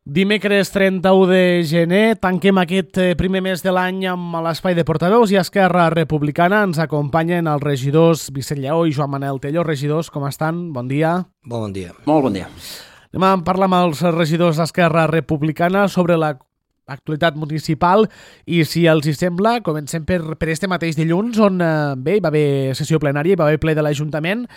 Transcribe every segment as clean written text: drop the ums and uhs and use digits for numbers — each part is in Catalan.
Dimecres 31 de gener, tanquem aquest primer mes de l'any amb l'espai de portaveus i Esquerra Republicana. Ens acompanyen els regidors Vicent Lleó i Joan Manel Tello. Regidors, com estan? Bon dia. Bon dia. Molt bon dia. Anem a parlar amb els regidors d'Esquerra Republicana sobre l'actualitat municipal i, si els hi sembla, comencem per este mateix dilluns on hi va haver sessió plenària, hi va haver ple de l'Ajuntament,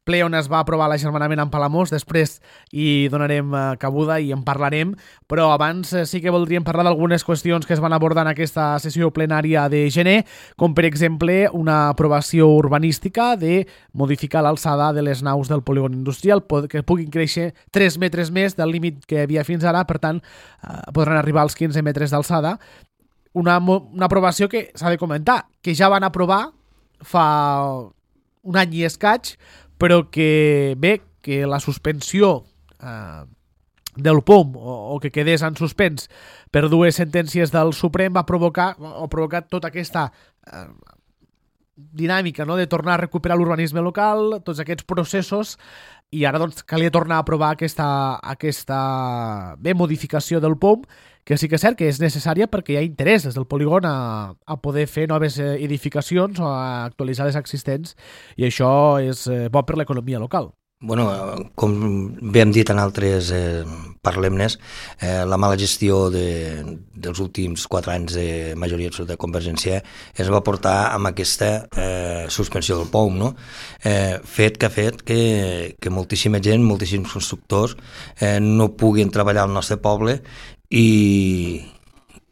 ple on es va aprovar l'agermanament amb Palamós. Després hi donarem cabuda i en parlarem, però abans sí que voldríem parlar d'algunes qüestions que es van abordar en aquesta sessió plenària de gener, com per exemple una aprovació urbanística de modificar l'alçada de les naus del polígon industrial, que puguin créixer 3 metres més del límit que hi havia fins ara, per tant podran arribar als 15 metres d'alçada. Una aprovació que s'ha de comentar, que ja van aprovar fa un any i escaig, però que bé, que la suspensió del POM o que quedés en suspens per 2 sentències del Suprem va provocar tota aquesta dinàmica, no?, de tornar a recuperar l'urbanisme local, tots aquests processos, i ara doncs calia tornar a aprovar aquesta modificació del POM, que sí que és cert que és necessària perquè hi ha interès des del polígon a poder fer noves edificacions o a actualitzar les existents, i això és bo per l'economia local. Bueno, com bé hem dit en altres parlemnes, la mala gestió dels últims 4 anys de majoria absoluta de Convergència es va portar amb aquesta suspensió del POM, no? Fet que ha fet que moltíssima gent, moltíssims constructors no puguin treballar al nostre poble i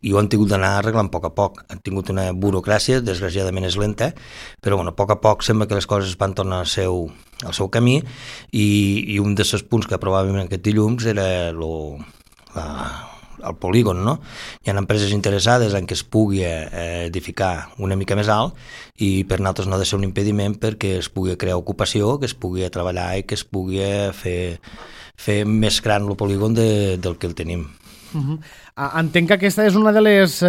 ho han tingut d'anar arreglant a poc. Han tingut una burocràcia, desgraciadament és lenta, però bueno, a poc sembla que les coses van tornar al seu camí, i un dels punts que aprovàvem aquest dilluns era el polígon, no? Hi ha empreses interessades en que es pugui edificar una mica més alt, i per nosaltres no ha de ser un impediment perquè es pugui crear ocupació, que es pugui treballar i que es pugui fer més gran el polígon del que el tenim. Entenc que aquesta és una de les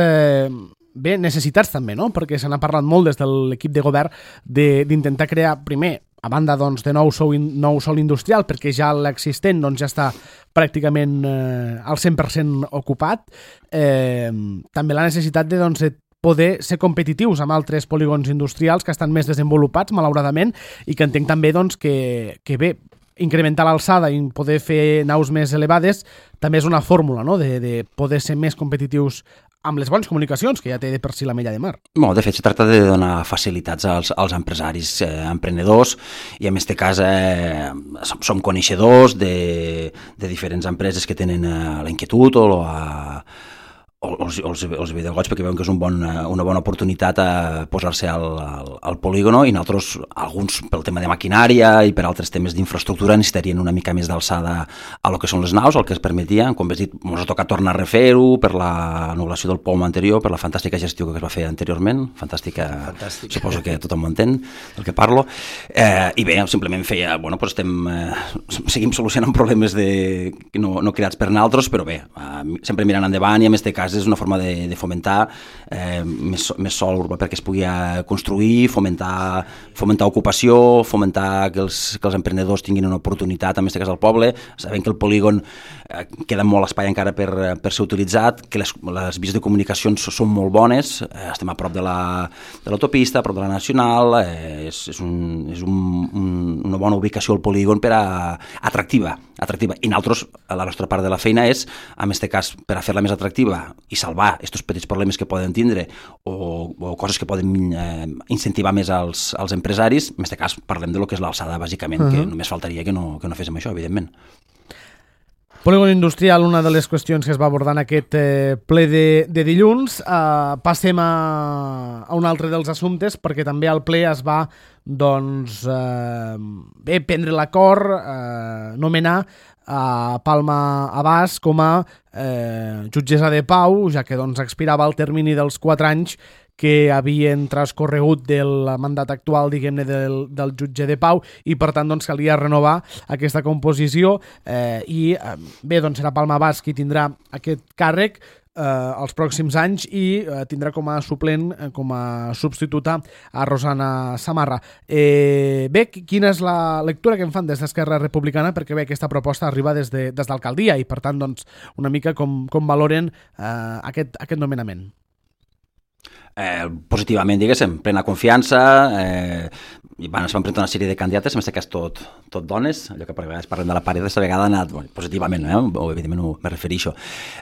necessitats també, no? Perquè se n'ha parlat molt des de l'equip de govern d'intentar crear, primer, a banda doncs, de nou sòl industrial, perquè ja l'existent doncs, ja està pràcticament al 100% ocupat, també la necessitat de poder ser competitius amb altres polígons industrials que estan més desenvolupats, malauradament, i que entenc també doncs, que bé, incrementar l'alçada i poder fer naus més elevades també és una fórmula, no?, de poder ser més competitius amb les bones comunicacions que ja té de per si la Mella de Mar. Bueno, de fet, se tracta de donar facilitats als empresaris emprenedors, i en aquest cas som coneixedors de diferents empreses que tenen la inquietud o els videogots, perquè veuen que és una bona oportunitat a posar-se al polígono, i nosaltres, alguns pel tema de maquinària i per altres temes d'infraestructura, necessitarien una mica més d'alçada a lo que són les naus, el que es permetia. Com has dit, ens ha tocat tornar a refer-ho per l'anul·lació del POM anterior, per la fantàstica gestió que es va fer anteriorment. Fantàstica. Suposo que tothom ho entén del que parlo. I bé, simplement feia, seguim solucionant problemes no creats per nosaltres, però bé, sempre mirant endavant, i en aquest cas és una forma de fomentar més sòl urbà perquè es pugui construir, fomentar ocupació, fomentar que els emprenedors tinguin una oportunitat, en aquest cas al poble. Sabem que el polígon queda molt espai encara per ser utilitzat, que les vies de comunicacions són molt bones, estem a prop de l'autopista, a prop de la nacional, és una bona ubicació al polígon per atractiva. I nosaltres, la nostra part de la feina és, en aquest cas, per a fer-la més atractiva i salvar aquests petits problemes que poden tindre o coses que poden incentivar més als empresaris. En aquest cas parlem de lo que és l'alçada, bàsicament, que només faltaria que no féssim això, evidentment. Polígon industrial, una de les qüestions que es va abordar en aquest ple de dilluns. Passem a un altre dels assumptes, perquè també al ple es va prendre l'acord, nomenar a Palma Abàs com a jutgessa de pau, ja que expirava el termini dels 4 anys que havien transcorregut del mandat actual, diguem-ne, del jutge de pau, i per tant calia renovar aquesta composició, i bé, serà Palma Abàs qui tindrà aquest càrrec. els pròxims anys i tindrà com a suplent, com a substituta a Rosana Samarra. Bé, quina és la lectura que en fan des d'Esquerra Republicana? Perquè bé, aquesta proposta arriba des d'alcaldia i per tant doncs, una mica com valoren aquest nomenament. Positivament, diguéssim, plena confiança, es van presentar una sèrie de candidates, en aquest cas tot dones, allò que per vegades parlem de la paret, aquesta vegada ha anat positivament, evidentment me refereixo,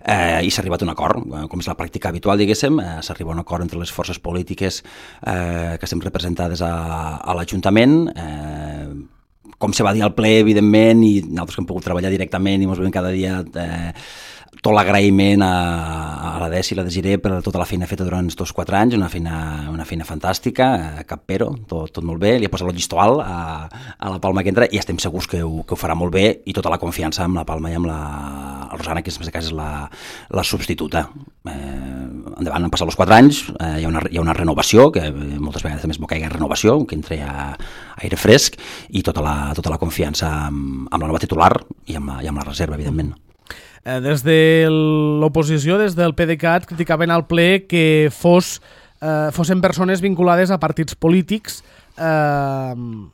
i s'ha arribat a un acord, com és la pràctica habitual, diguéssim, s'arriba a un acord entre les forces polítiques que estem representades a l'Ajuntament, com se va dir al ple, evidentment, i nosaltres que hem pogut treballar directament i ens veiem cada dia tot l'agraïment a la Desi i la Desiré per tota la feina feta durant aquests 4 anys, una feina fantàstica, cap pero, tot molt bé, li ha posat el llistó alt a la Palma que entra i estem segurs que ho farà molt bé i tota la confiança amb la Palma i amb la Rosana, que en aquest cas és la substituta. Endavant, han passat els 4 anys, hi ha una renovació, que moltes vegades també es m'ho caigui renovació, que entri a aire fresc i tota la confiança amb la nova titular i amb la reserva, evidentment. Des de l'oposició, des del PDeCAT, criticaven al ple que fossin persones vinculades a partits polítics. En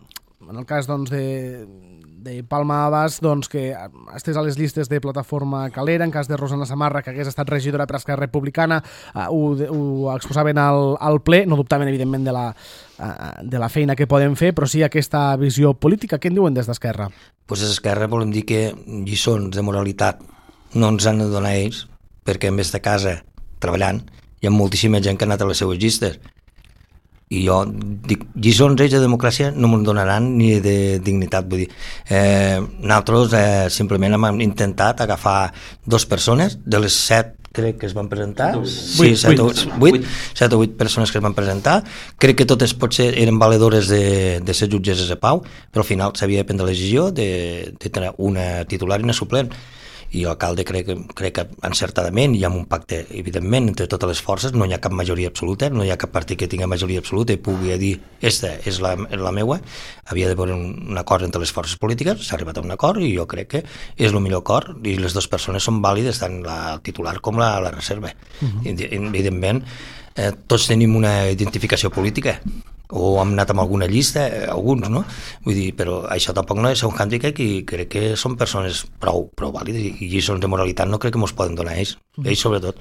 el cas doncs, de Palma Abas, doncs, que estés a les llistes de Plataforma Calera, en cas de Rosana Samarra, que hagués estat regidora per Esquerra Republicana, ho exposaven al ple, no dubtaven, evidentment, de la feina que poden fer, però sí aquesta visió política. Què en diuen des d'Esquerra? Des d'Esquerra volem dir que lliçons de moralitat no ens han de donar ells, perquè en vez de casa, treballant, hi ha moltíssima gent que ha anat a les seues llistes. I jo dic, lliçons ells de democràcia no me'n donaran ni de dignitat. Vull dir, nosaltres simplement hem intentat agafar 2 persones, de les 7 crec que es van presentar, 7 o 8 persones que es van presentar, crec que totes potser eren valedores de ser jutgesses de pau, però al final s'havia de prendre la decisió de tenir una titular i una suplent. I l'alcalde crec que encertadament i amb un pacte, evidentment, entre totes les forces, no hi ha cap majoria absoluta, no hi ha cap partit que tingui majoria absoluta i pugui dir, esta és la meua, havia d'haver un acord entre les forces polítiques, s'ha arribat a un acord i jo crec que és el millor acord i les 2 persones són vàlides, tant la titular com la reserva. Evidentment, tots tenim una identificació política, o hem anat amb alguna llista, alguns, no? Vull dir, però això tampoc no és un hàndicap i crec que són persones prou vàlides i lliçons de moralitat no crec que mos poden donar ells sobretot.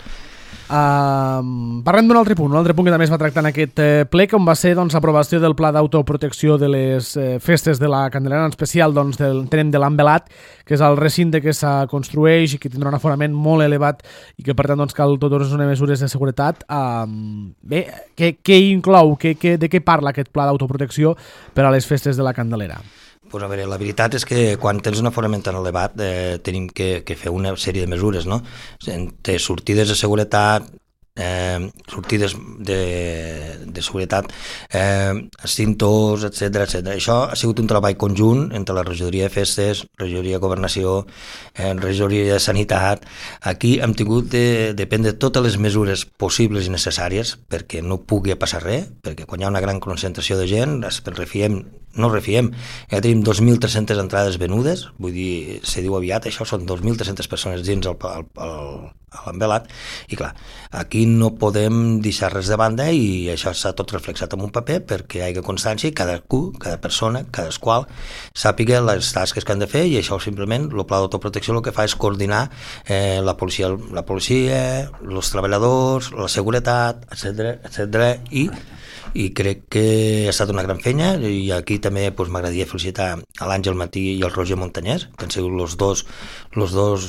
Parlem d'un altre punt que també es va tractar en aquest ple, com va ser l'aprovació del Pla d'Autoprotecció de les festes de la Candelera, en especial tenem de l'Envelat, que és el recinte que se construeix i que tindrà un aforament molt elevat i que per tant cal totes unes mesures de seguretat. Bé, què inclou, de què parla aquest Pla d'Autoprotecció per a les festes de la Candelera? Pues a veure, la veritat és que quan tens un aforament tan elevat tenim que fer una sèrie de mesures, no? Entre sortides de seguretat, sortides de seguretat, extintors, etc. Això ha sigut un treball conjunt entre la regidoria de festes, regidoria de governació, regidoria de sanitat. Aquí hem tingut de prendre totes les mesures possibles i necessàries perquè no pugui passar res, perquè quan hi ha una gran concentració de gent no refiem, ja tenim 2.300 entrades venudes, vull dir, se diu aviat, això són 2.300 persones dins l'envelat, i clar, aquí no podem deixar res de banda i això s'ha tot reflexat en un paper perquè hi hagi constància i cada persona, cadasqual, sàpiga les tasques que han de fer i això simplement, el pla d'autoprotecció el que fa és coordinar la policia, els treballadors, la seguretat, etc. I crec que ha estat una gran feina i aquí també m'agradaria felicitar a l'Àngel Matí i al Roger Montanyès, que han sigut els dos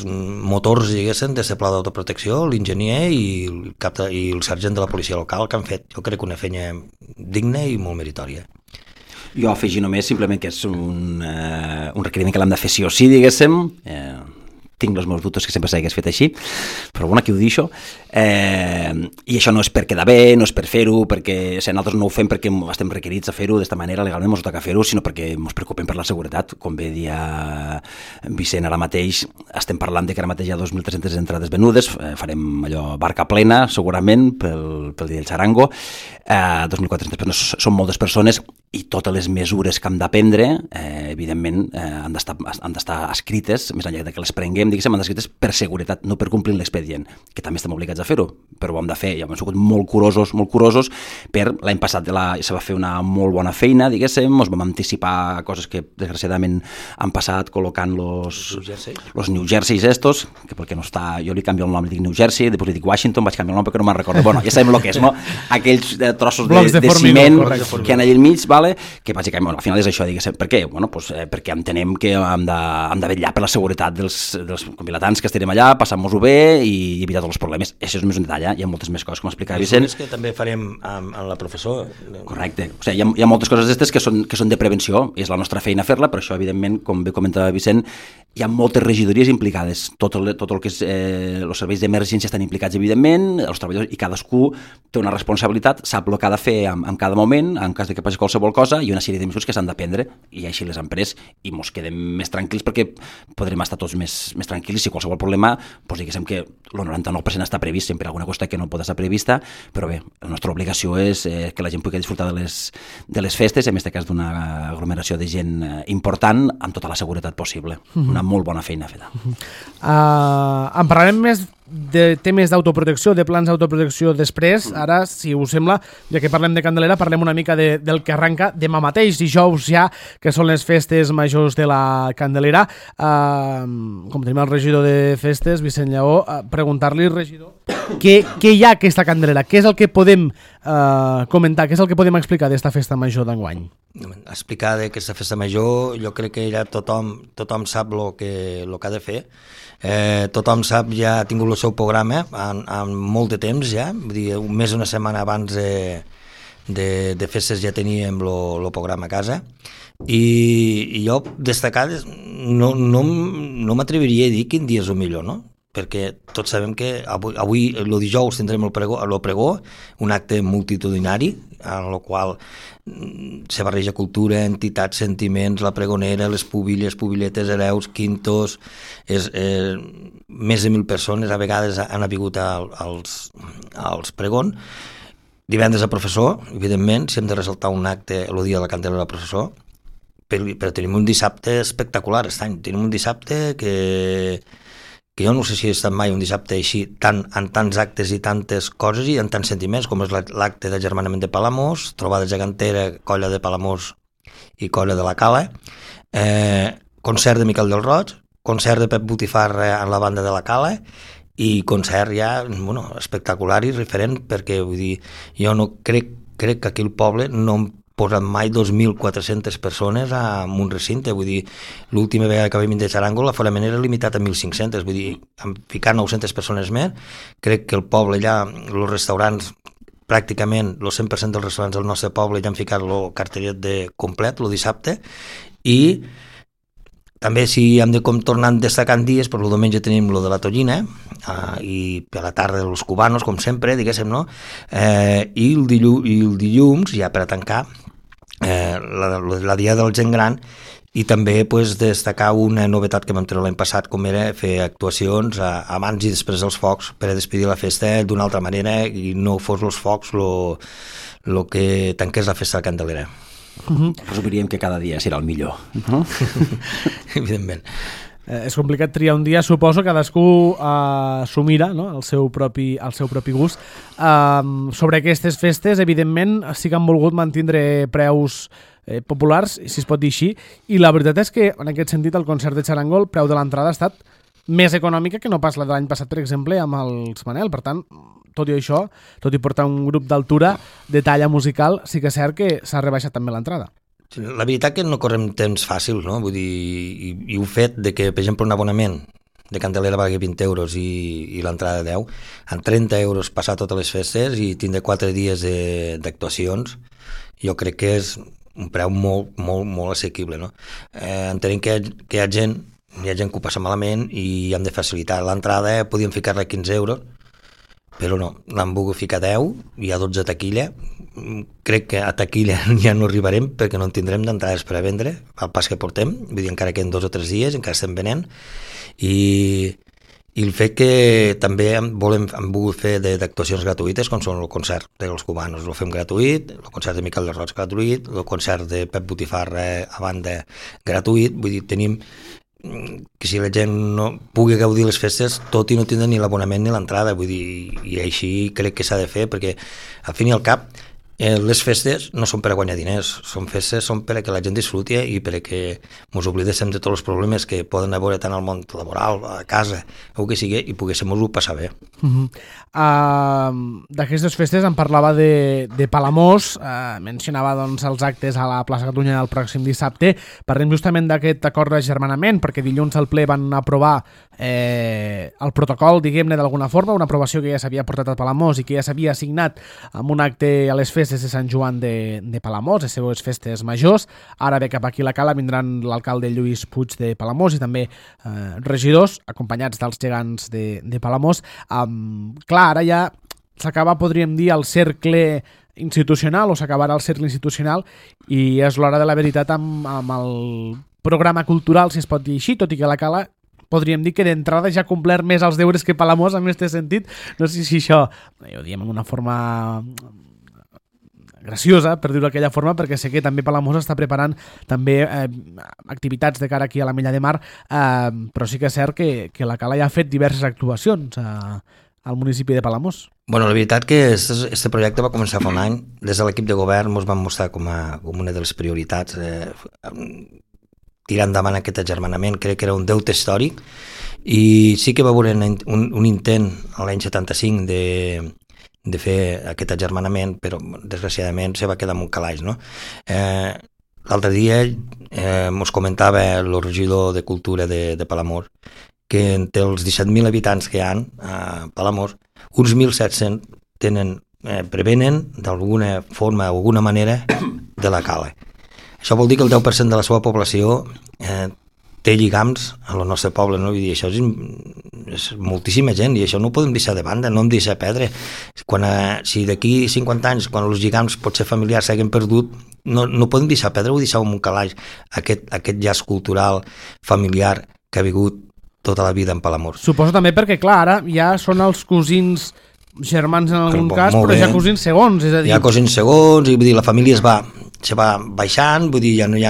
motors, diguéssim, d'aquest pla d'autoprotecció, l'enginyer i el sergent de la policia local, que han fet, jo crec, una feina digna i molt meritòria. Jo afegir només simplement que és un requeriment que l'hem de fer sí o sí, diguéssim, tinc els meus dubtes que sempre s'hagués fet així, però bueno, aquí ho deixo. I això no és per quedar bé, no és per fer-ho, perquè nosaltres no ho fem perquè estem requerits a fer-ho d'esta manera, legalment ens toca fer-ho, sinó perquè ens preocupem per la seguretat. Com bé dia Vicent, ara mateix estem parlant que ara mateix hi ha 2.300 entrades venudes, farem allò barca plena, segurament, pel dia del xarango, 2.400 persones, són moltes persones, i totes les mesures que hem de prendre, evidentment, han d'estar escrites, més enllà que les prenguem, diguéssim, han d'estar escrites per seguretat, no per complir l'expedient, que també estem obligats a fer-ho, però ho hem de fer, i hem sigut molt curosos, per l'any passat se va fer una molt bona feina, diguéssim, ens vam anticipar coses que desgraciadament han passat col·locant los New Jerseys estos, que perquè no està, jo li canvio el nom, li dic New Jersey, després li dic Washington, vaig canviar el nom perquè no me'n recordo, bueno, ja sabem el que és, no? Aquells trossos de ciment que han allà al mig, vale? Que bàsicament, bueno, al final és això, diguéssim, per què? Bueno, pues, perquè entenem que hem de vetllar per la seguretat dels vilatans que estarem allà, passant-nos-ho bé i evitar tots els problemes. Això és més un detall, hi ha moltes més coses, com explicava Vicent. Que també farem amb la professor. Correcte, o sigui, hi ha moltes coses d'aquestes que són de prevenció, és la nostra feina fer-la, però això, evidentment, com bé comentava Vicent, hi ha moltes regidories implicades, tot el que és els serveis d'emergència estan implicats, evidentment, els treballadors, i cadascú té una responsabilitat, sap el que ha de fer en cada moment, en cas de que passi qualsevol cosa, i una sèrie de mesures que s'han de prendre, i així les han pres, i ens quedem més tranquils perquè podrem estar tots més tranquils, i si qualsevol problema, doncs diguéssim que el 99% està previst, sempre alguna cosa que no pot estar prevista, però bé, la nostra obligació és que la gent pugui disfrutar de les festes, en aquest cas d'una aglomeració de gent important, amb tota la seguretat possible. Una molt bona feina feta. En parlarem més de temes d'autoprotecció, de plans d'autoprotecció després. Ara, si us sembla, ja que parlem de Candelera, parlem una mica del que arranca demà mateix, dijous ja, que són les festes majors de la Candelera. Com tenim el regidor de festes, Vicent Lleó, preguntar-li, regidor, què hi ha aquesta Candelera? Què és el que podem comentar? Què és el que podem explicar d'esta festa major d'enguany? Explicar d'aquesta festa major, jo crec que ja tothom sap el que ha de fer. Tothom sap, ja ha tingut el seu programa en molt de temps ja, vull dir, més d'una setmana abans de festes ja teníem el programa a casa, i jo destacar no m'atreviria a dir quin dia és el millor, no? Perquè tots sabem que avui el dijous tindrem el pregó, un acte multitudinari en el qual se barreja cultura, entitats, sentiments, la pregonera, les pubilles, pubiletes, hereus, quintos, més de 1.000 persones a vegades han vingut als pregons. Divendres a professor, evidentment, si hem de ressaltar un acte el dia de la Candelera a professor, però tenim un dissabte espectacular aquest any, tenim un dissabte que jo no sé si he estat mai un dissabte així, en tants actes i tantes coses i en tants sentiments, com és l'acte d'agermanament de Palamós, trobada gegantera, colla de Palamós i colla de la Cala, concert de Miquel del Roig, concert de Pep Botifarra en la banda de la Cala, i concert ja espectacular i referent, perquè vull dir, jo no crec que aquí al poble no em posat mai 2.400 persones en un recinte, vull dir, l'última vegada que vam de Xarango l'aforament era limitat a 1.500, vull dir, ficar 900 persones més, crec que el poble ja, els restaurants, pràcticament el 100% dels restaurants del nostre poble ja han ficat el cartellet complet, el dissabte, i també si hem de tornar destacant dies, el diumenge tenim el de la Tollina, i per la tarda els cubanos, com sempre, diguéssim, no? I el dilluns, ja per a tancar, la dia del gent gran, i també destacar una novetat que vam treure l'any passat, com era fer actuacions abans i després dels focs per a despedir la festa d'una altra manera i no fos els focs el que tanqués la festa de Candelera. Presumiríem que cada dia serà el millor. Evidentment. És complicat triar un dia, suposo, cadascú s'ho mira, no? al seu propi gust. Sobre aquestes festes, evidentment, sí que han volgut mantindre preus populars, si es pot dir així, i la veritat és que, en aquest sentit, el concert de Xarango, el preu de l'entrada ha estat més econòmica que no pas la de l'any passat, per exemple, amb els Manel. Per tant, tot i això, tot i portar un grup d'altura de talla musical, sí que és cert que s'ha rebaixat també l'entrada. La veritat que no correm temps fàcils, no? Vull dir, i el fet de que, per exemple, un abonament de Candelera valgui 20 euros i l'entrada 10, en 30 euros passar totes les festes i tindre 4 dies d'actuacions, jo crec que és un preu molt, molt, molt assequible, no? Entenem que hi ha gent que ho passa malament i hem de facilitar l'entrada, podíem ficar-la a 15 euros, però no, l'han volgut ficar a 10, hi ha 12 taquilla, crec que a taquilla ja no arribarem perquè no en tindrem d'entrades per a vendre al pas que portem, vull dir, encara que en 2 o 3 dies encara estem venent, i I el fet que també hem volgut fer d'actuacions gratuïtes, com són el concert dels cubanos, el fem gratuït, el concert de Miquel de Roig gratuït, el concert de Pep Botifarra a banda gratuït, vull dir, tenim que si la gent no pugui gaudir les festes, tot i no tindre ni l'abonament ni l'entrada, vull dir, i així crec que s'ha de fer, perquè al fin i al cap les festes no són per a guanyar diners, són festes, són per a que la gent disfruti i per a que ens oblidéssim de tots els problemes que poden haver tant al món laboral, a casa, o que sigui, i poguéssim-ho passar bé. D'aquestes festes em parlava de Palamós, mencionava doncs, els actes a la plaça Catalunya el pròxim dissabte. Parlem justament d'aquest acord d'agermanament, perquè dilluns al ple van aprovar el protocol, diguem-ne d'alguna forma, una aprovació que ja s'havia portat a Palamós i que ja s'havia assignat amb un acte a les festes de Sant Joan de Palamós, les seves festes majors. Ara ve cap aquí a la Cala, vindran l'alcalde Lluís Puig de Palamós i també regidors, acompanyats dels gegants de Palamós. Clar, ara ja s'acaba, podríem dir, el cercle institucional, o s'acabarà el cercle institucional, i és l'hora de la veritat amb el programa cultural, si es pot dir així, tot i que la Cala podríem dir que d'entrada ja ha complert més els deures que Palamós en aquest sentit. No sé si això ho diem en una forma graciosa, per dir-ho d'aquella forma, perquè sé que també Palamós està preparant també activitats de cara aquí a la Mella de Mar, però sí que és cert que la Cala ja ha fet diverses actuacions al municipi de Palamós. Bueno, la veritat que este projecte va començar fa un any. Des de l'equip de govern ens van mostrar com una de les prioritats tirar endavant aquest agermanament. Crec que era un deute històric i sí que va haver un intent l'any 75 de fer aquest agermanament, però desgraciadament se va quedar en un calaix, no? L'altre dia ens comentava el regidor de Cultura de Palamós que entre els 17.000 habitants que hi ha a Palamós, uns 1.700 prevenen d'alguna forma o alguna manera de la Cala. Això vol dir que el 10% de la seva població té lligams a el nostre poble, no? I això és moltíssima gent i això no ho podem deixar de banda, no hem de deixar perdre. Si d'aquí 50 anys, quan els lligams potser familiars s'hagin perdut, no podem deixar perdre, ho deixem en un calaix, aquest llaç cultural familiar que ha vingut tota la vida en Palamós. Suposo també perquè, clar, ara ja són els cosins germans en algun cas, però ja cosins segons, és a dir... Hi ha cosins segons, i vull dir, la família se va baixant, vull dir, ja no hi ha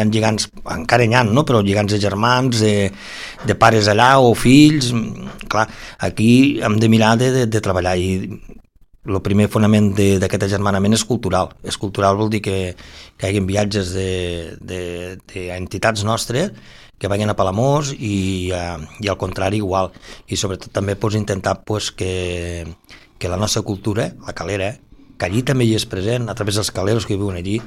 lligants, encara n'hi ha, no? Però lligants de germans, de pares allà o fills, clar, aquí hem de mirar de treballar i el primer fonament d'aquest agermanament és cultural. És cultural vol dir que hi hagi viatges d'entitats nostres que vagin a Palamós i al contrari igual. I sobretot també intentar que la nostra cultura, la calera, que allí també hi és present, a través dels caleros que viuen allí,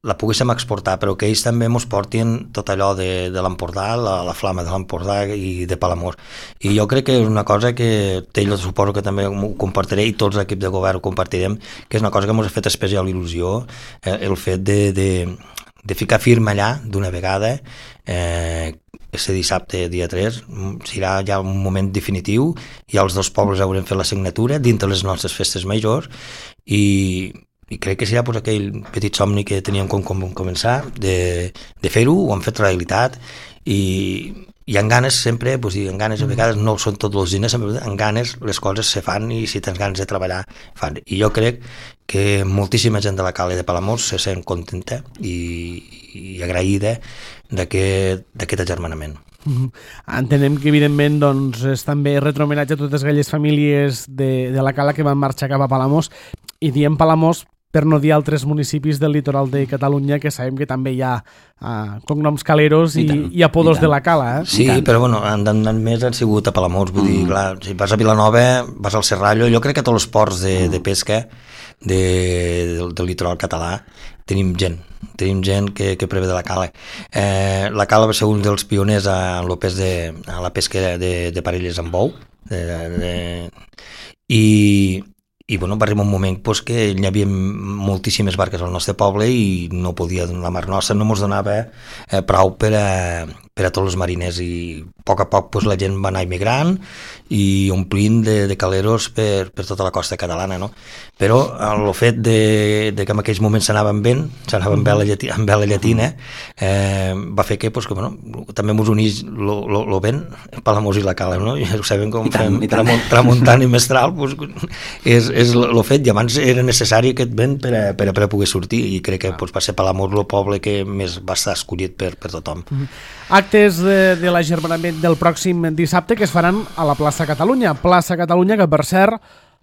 la poguéssim exportar, però que ells també ens portin tot allò de l'Empordà, la flama de l'Empordà i de Palamós. I jo crec que és una cosa que jo suposo que també ho compartiré i tots l'equip de govern ho compartirem, que és una cosa que ens ha fet especial il·lusió, el fet de ficar firme allà d'una vegada. Este dissabte, dia 3, serà ja un moment definitiu i els dos pobles haurem fet la signatura dintre les nostres festes majors i crec que serà aquell petit somni que teníem com començar de fer-ho, ho hem fet realitat i en ganes sempre, en ganes a vegades no són tots els diners, en ganes les coses se fan i si tens ganes de treballar fan. I jo crec que moltíssima gent de la Cala de Palamós se sent contenta i agraïda d'aquest agermanament. Entenem que evidentment doncs, és també retrohomenatge a totes aquelles famílies de la Cala que van marxar cap a Palamós, i diem Palamós per no dir altres municipis del litoral de Catalunya que sabem que també hi ha cognoms caleros i apodos de la Cala. Sí, però bueno, han més han sigut a Palamós, vull dir, clar, si vas a Vilanova, vas al Serrallo, jo crec que tots els ports de pesca del litoral català tenim gent que preve de la Cala. La Cala va ser un dels pioners a la pesca de parelles amb bou i bueno, va arribar un moment que hi havia moltíssimes barques al nostre poble i no podia, la mar nostra no ens donava prou per per a tots els mariners, i a poc pues, la gent va anar immigrant i omplint de caleros per tota la costa catalana, no? Però el fet de que en aquells moments s'anaven bé amb vela llatina, va fer que, pues, que bueno, també ens unís lo vent, Palamós i la Cala, no? Ja ho sabem com fem tramuntant i mestral, pues, és lo fet, i abans era necessari aquest vent per a poder sortir, i crec que pues, va ser Palamós el poble que més va estar escollit per tothom. Actes de l'agermanament del pròxim dissabte que es faran a la plaça Catalunya, que per cert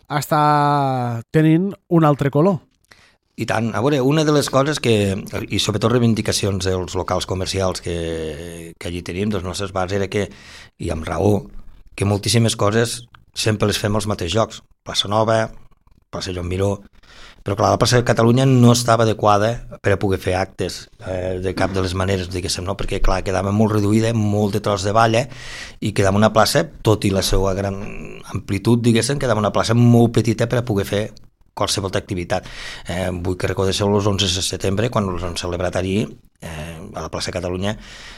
està tenint un altre color. I tant, a veure, una de les coses i sobretot reivindicacions dels locals comercials que allí tenim, dels nostres bars, era que, i amb raó, que moltíssimes coses sempre les fem als mateixos llocs. Plaça Nova, plaça Joan Miró, però clar, la plaça de Catalunya no estava adequada per a poder fer actes de cap de les maneres, diguéssim, no? Perquè clar, quedava molt reduïda, molt de tros de valla, i quedava una plaça, tot i la seva gran amplitud, diguéssim, quedava una plaça molt petita per a poder fer qualsevol activitat. Vull que recordéssiu els 11 de setembre, quan els han celebrat allí, a la plaça Catalunya,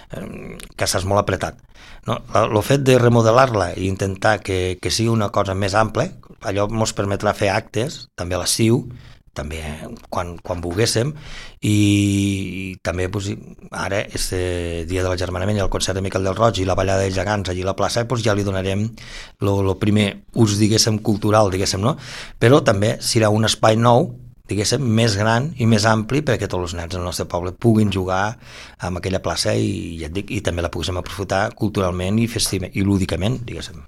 que estàs molt apretat. No? El fet de remodelar-la i intentar que sigui una cosa més ampla, allò ens permetrà fer actes, també a l'estiu, també quan volguéssim, i també pues, ara este dia de l'agermanament i el concert de Miquel del Roig i la ballada de gegants allí a la plaça, pues, ja li donarem el primer ús, diguéssim, cultural, diguéssim, no? Però també serà un espai nou, diguéssim, més gran i més ampli perquè tots els nens del nostre poble puguin jugar en aquella plaça i ja et dic, i també la poguéssim aprofitar culturalment i lúdicament, diguéssim.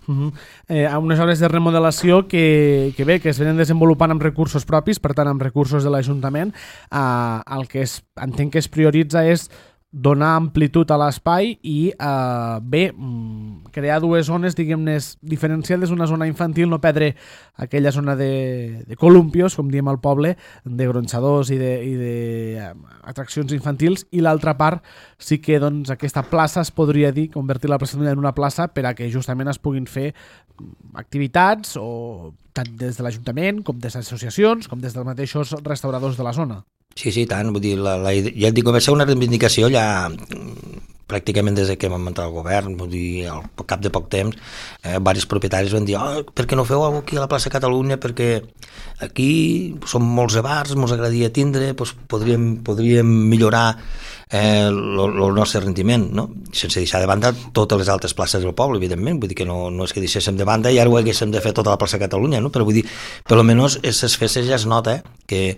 A unes obres de remodelació que es venen desenvolupant amb recursos propis, per tant amb recursos de l'Ajuntament, el que entenc que es prioritza és donar amplitud a l'espai i crear dues zones, diguem-ne, diferenciades, una zona infantil, no perdre aquella zona de columpios, com diem al poble, de gronxadors i de atraccions infantils, i l'altra part sí que doncs, aquesta plaça es podria dir, convertir la plaça en una plaça per a que justament es puguin fer activitats, o tant des de l'Ajuntament com des de associacions, com des dels mateixos restauradors de la zona. Sí, tant, vull dir, ja et dic, va ser una reivindicació ja pràcticament des que vam entrar al govern, vull dir, al cap de poc temps, diversos propietaris van dir, per què no feu alguna cosa aquí a la plaça Catalunya, perquè aquí som molts de bars, ens agradaria tindre, doncs podríem millorar el nostre rendiment, no? Sense deixar de banda totes les altres places del poble, evidentment, vull dir que no és que deixéssim de banda i ara ho haguéssim de fer tota la plaça Catalunya, no? Però vull dir, per almenys aquestes festes ja es nota que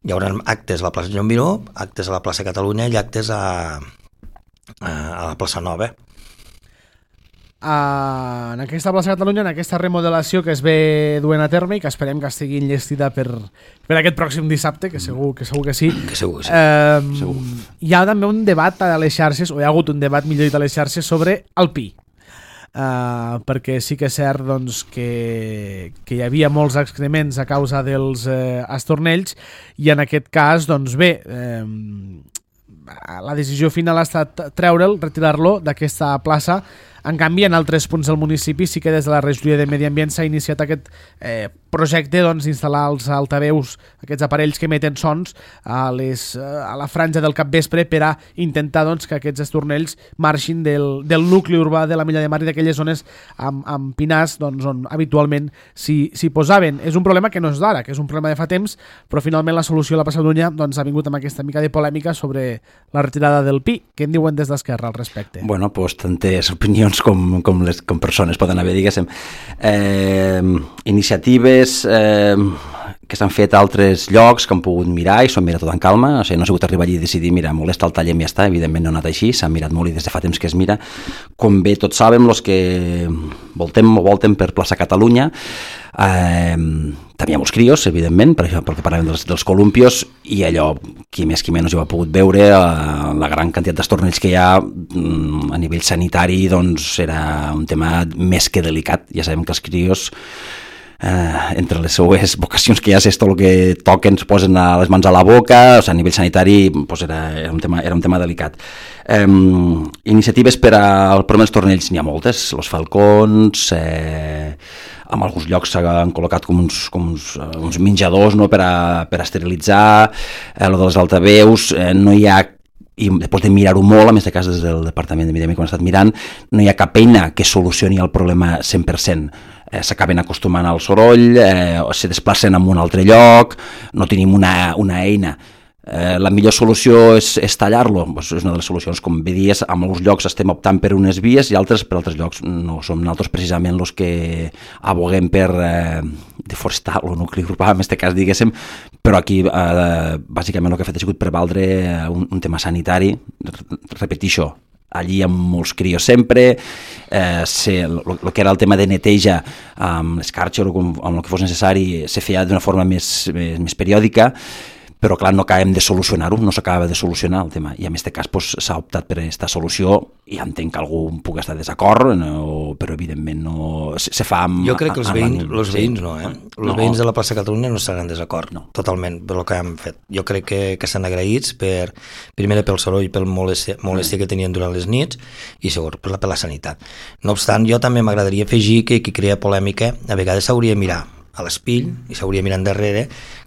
hi haurà actes a la plaça Joan Miró, actes a la plaça Catalunya i actes a la plaça Nova. En aquesta plaça Catalunya, en aquesta remodelació que es ve duent a terme i que esperem que estigui enllestida per aquest pròxim dissabte, que segur que sí. Que segur que sí. Segur. Hi ha també un debat a les xarxes, o hi ha hagut un debat, millor dit, a les xarxes sobre el pi. Perquè sí que és cert doncs, que hi havia molts excrements a causa dels estornells, i en aquest cas doncs bé, la decisió final ha estat treure'l, retirar-lo d'aquesta plaça. En canvi, en altres punts del municipi sí que des de la regidoria de Medi Ambient s'ha iniciat aquest projecte d'instal·lar els altaveus, aquests aparells que emeten sons a la franja del capvespre per a intentar que aquests estornells marxin del nucli urbà de la Milla de Mar i d'aquelles zones amb pinars on habitualment s'hi posaven. És un problema que no és d'ara, que és un problema de fa temps, però finalment la solució a la plaça Catalunya ha vingut amb aquesta mica de polèmica sobre la retirada del pi. Què en diuen des d'Esquerra al respecte? Bueno, doncs tantes opinions com persones poden haver, diguéssim. Iniciatives que s'han fet a altres llocs que han pogut mirar i s'ho han mirat tot en calma, o sigui, no ha sigut arribar allí i decidir, mira, molesta el tallem i ja està, evidentment no ha anat així, s'ha mirat molt i des de fa temps que es mira. Com bé tots sabem, els que voltem per plaça Catalunya, també hi ha molts crios, evidentment, perquè parlem dels columpios, i allò, qui més qui menys ho ha pogut veure, la gran quantitat d'estornells que hi ha a nivell sanitari, doncs era un tema més que delicat. Ja sabem que els crios, entre les seues vocacions que ja és tot el que toquen, es posen les mans a la boca, o sigui, a nivell sanitari doncs era un tema delicat. Iniciatives per al problema dels tornells n'hi ha moltes, els falcons, en alguns llocs s'han col·locat com uns menjadors, no, per a esterilitzar, el de les altaveus, no hi ha i després de mirar-ho molt, en aquest cas des del Departament de Medi Ambient que hem estat mirant, no hi ha cap eina que solucioni el problema 100%. S'acaben acostumant al soroll, se desplacen a un altre lloc, no tenim una eina. La millor solució és tallar-lo, és una de les solucions, com bé dies, en alguns llocs estem optant per unes vies i altres per altres llocs no som nosaltres precisament els que aboguem per deforestar el nucli urbà, en aquest cas diguéssim, però aquí bàsicament el que ha fet ha sigut prevaldre un tema sanitari, repetixo, allí amb molts crios sempre, el que era el tema de neteja amb l'escarxa o amb el que fos necessari se feia d'una forma més periòdica, però clar, no acabem de solucionar-ho, no s'acaba de solucionar el tema, i en aquest cas s'ha optat per aquesta solució, i entenc que algú pugui estar d'acord, però evidentment no se fa amb... Jo crec que els veïns no, Els veïns de la plaça Catalunya no estaran en desacord, totalment, per el que hem fet. Jo crec que estan agraïts primer pel soroll i pel molèstia que tenien durant les nits, i segon, per la sanitat. No obstant, jo també m'agradaria afegir que qui crea polèmica a vegades s'hauria de mirar a l'espill i s'hauria mirat endarrere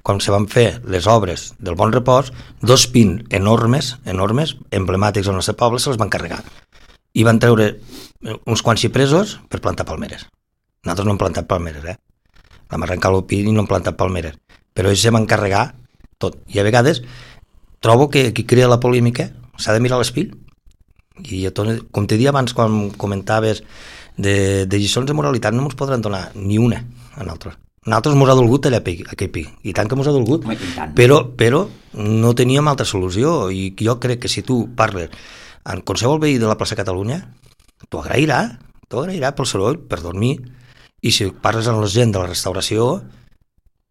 quan se van fer les obres del Bon Repòs, 2 pins enormes, emblemàtics del nostre poble, se les van carregar i van treure uns quants xipresos per plantar palmeres. Nosaltres no hem plantat palmeres, vam arrencar el pin i no hem plantat palmeres, però ells se van carregar tot, i a vegades trobo que qui crea la polèmica s'ha de mirar a l'espill, i com t'he dit abans quan comentaves de lliçons de moralitat no ens podran donar ni una a nosaltres. Nosaltres mos ha dolgut allà aquell pi, i tant que mos ha dolgut, però no teníem altra solució, i jo crec que si tu parles amb qualsevol veí de la plaça Catalunya, t'ho agrairà pel soroll, per dormir, i si parles amb la gent de la restauració,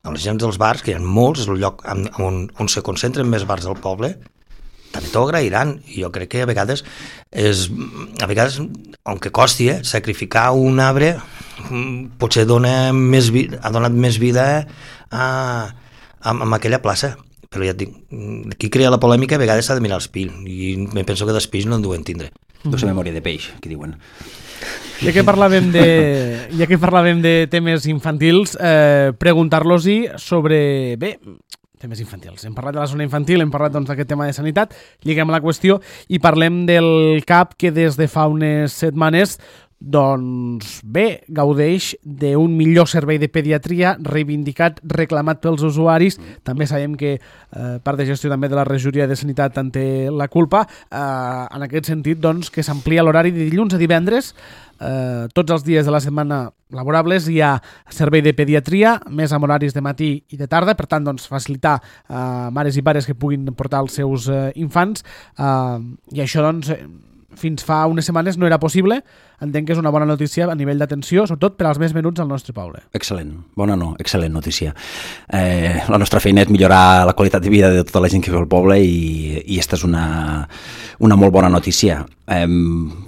amb la gent dels bars, que hi ha molts, és el lloc on se concentren més bars del poble, també t'ho agrairan, i jo crec que a vegades, aunque costi, sacrificar un arbre potser ha donat més vida a aquella plaça, però ja et dic, qui crea la polèmica a vegades s'ha de mirar l'espill, i me penso que d'espill no en duen tindre. Doncs memòria de peix, que diuen. Ja que parlàvem de temes infantils, preguntar-los-hi sobre... temes infantils. Hem parlat de la zona infantil, hem parlat d'aquest tema de sanitat, lliguem la qüestió i parlem del CAP que des de fa unes setmanes gaudeix d'un millor servei de pediatria reivindicat, reclamat pels usuaris. També sabem que part de gestió també de la regidoria de sanitat en té la culpa. En aquest sentit, doncs, que s'amplia l'horari de dilluns a divendres. Tots els dies de la setmana laborables hi ha servei de pediatria, més amb horaris de matí i de tarda, per tant, doncs, facilitar mares i pares que puguin portar els seus infants, i això, doncs, fins fa unes setmanes no era possible. Entenc que és una bona notícia a nivell d'atenció, sobretot per als més menuts al nostre poble. Excel·lent, excel·lent notícia. La nostra feina és millorar la qualitat de vida de tota la gent que viu al poble, i aquesta és una molt bona notícia.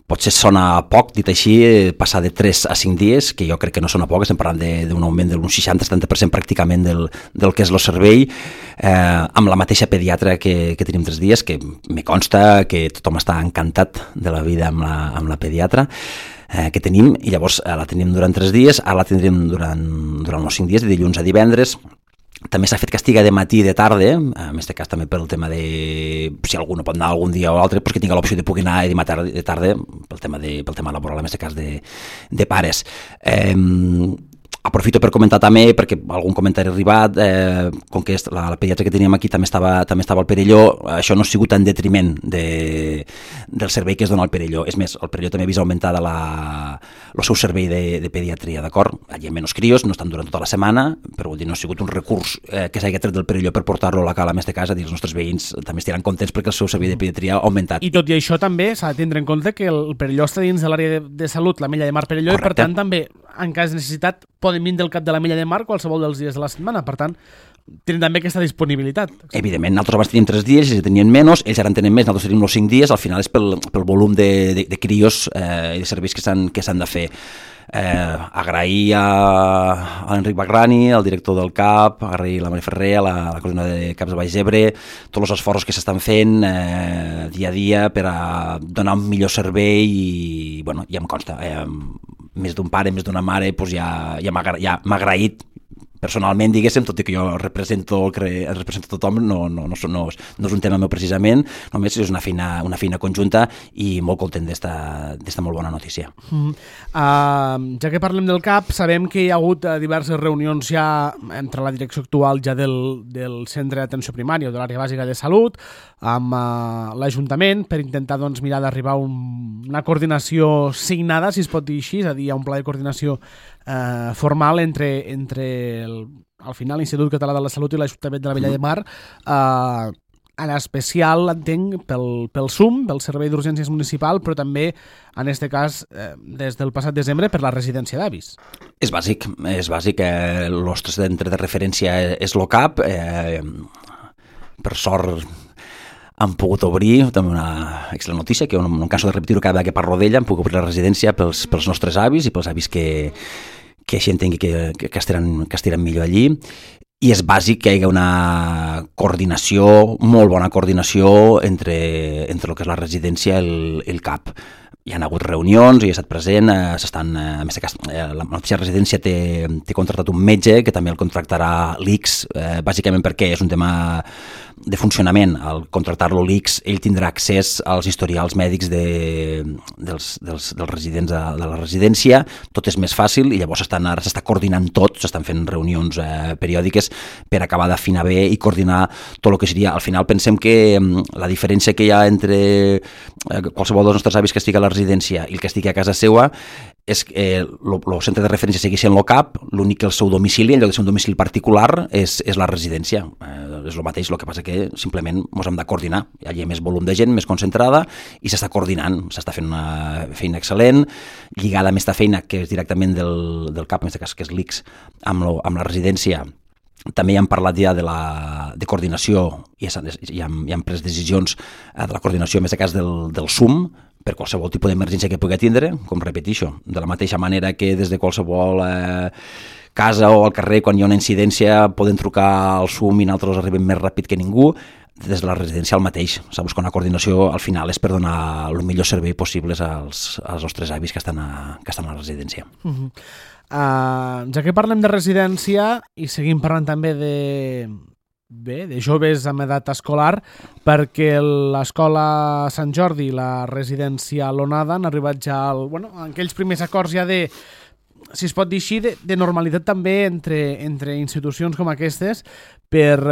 Potser sona poc, dit així, passar de 3 a 5 dies, que jo crec que no sona poc, estem parlant d'un augment d'un 60-70% pràcticament del que és el servei, amb la mateixa pediatra que tenim 3 dies, que me consta que tothom està encantat de la vida amb la pediatra que tenim, i llavors la tenim durant 3 dies, ara la tindrem durant els 5 dies, de dilluns a divendres. També s'ha fet que estiga de matí i de tarda, en aquest cas també pel tema de si algú no pot anar algun dia o l'altre, doncs que tingui l'opció de poder anar de tarda pel tema laboral, en aquest cas de pares. Aprofito per comentar també, perquè algun comentari ha arribat, com que la pediatra que teníem aquí també estava al Perelló, això no ha sigut en detriment del servei que es dona al Perelló. És més, el Perelló també ha vist augmentada el seu servei de pediatria, d'acord? Allà hi ha menys crios, no estan durant tota la setmana, però vol dir, no ha sigut un recurs que s'hagi tret del Perelló per portar-lo a la cala més de casa, i els nostres veïns també estaran contents perquè el seu servei de pediatria ha augmentat. I tot i això també s'ha de tindre en compte que el Perelló està dins de l'àrea de salut, la Mella de Mar Perelló, correcte. I per tant també, en cas de necessitat, poden vindre al cap de la Mella de Mar qualsevol dels dies de la setmana. Per tant, tenen també aquesta disponibilitat. Evidentment, nosaltres abans teníem 3 dies, ells tenien menys, ells ara en tenen més, nosaltres tenim els 5 dies, al final és pel volum de crios i de serveis que s'han de fer. Agrair a l'Enric Bagrani, el director del CAP, agrair a la Maria Ferrer, a la coordinadora de CAPs de Baix Ebre, tots els esforços que s'estan fent dia a dia per a donar un millor servei, i ja em consta, més d'un pare, més d'una mare, ja m'ha agraït personalment, diguéssim, tot i que jo represento tothom, no és un tema meu precisament, només és una feina conjunta i molt content d'esta molt bona notícia. Ja que parlem del CAP, sabem que hi ha hagut diverses reunions ja entre la direcció actual ja del centre d'atenció primària o de l'àrea bàsica de salut amb l'Ajuntament per intentar mirar d'arribar a una coordinació signada, si es pot dir així, és a dir, a un pla de coordinació formal entre al final l'Institut Català de la Salut i l'Ajuntament de la Vella de Mar, en especial, entenc, pel SUM, pel Servei d'Urgències Municipal, però també, en aquest cas, des del passat desembre, per la residència d'avis. És bàsic. El nostre centre de referència és l'OCAP. Per sort hem pogut obrir, també una excel·lent notícia, que no em canso de repetir-ho cada vegada que parlo d'ella, hem pogut obrir la residència pels nostres avis i pels avis que així entengui que estiran millor allí. I és bàsic que hi hagi una coordinació, molt bona coordinació entre el que és la residència i el CAP. Hi ha hagut reunions, hi he estat present, a més la mateixa residència té contractat un metge que també el contractarà l'ICS, bàsicament perquè és un tema de funcionament. Al contractar-lo l'ICS, ell tindrà accés als historials mèdics dels residents de la residència, tot és més fàcil i llavors ara s'està coordinant tot, s'estan fent reunions periòdiques per acabar d'afinar bé i coordinar tot el que seria. Al final pensem que la diferència que hi ha entre qualsevol dels nostres avis que estigui a la residència i el que estigui a casa seva és que el centre de referència segueix sent l'OCAP, l'únic que el seu domicili, en lloc de ser un domicili particular, és la residència. És el mateix, el que passa que simplement ens hem de coordinar. Allà hi ha més volum de gent, més concentrada, i s'està coordinant, s'està fent una feina excel·lent, lligada amb aquesta feina que és directament del CAP, en aquest cas que és l'ICS, amb la residència. També hem parlat ja de coordinació i hem pres decisions de la coordinació, en aquest cas del SUM, per qualsevol tipus d'emergència que pugui tindre, com repeteixo, de la mateixa manera que des de qualsevol casa o al carrer, quan hi ha una incidència, poden trucar al SUM i nosaltres arribem més ràpid que ningú. Des de la residència el mateix. S'ha buscat una coordinació, al final és per donar el millor servei possible als nostres avis que estan a la residència. Ja que parlem de residència i seguim parlant també de joves amb edat escolar, perquè l'escola Sant Jordi i la residència L'Onada han arribat ja en aquells primers acords ja de, si es pot dir així, de normalitat també entre institucions com aquestes per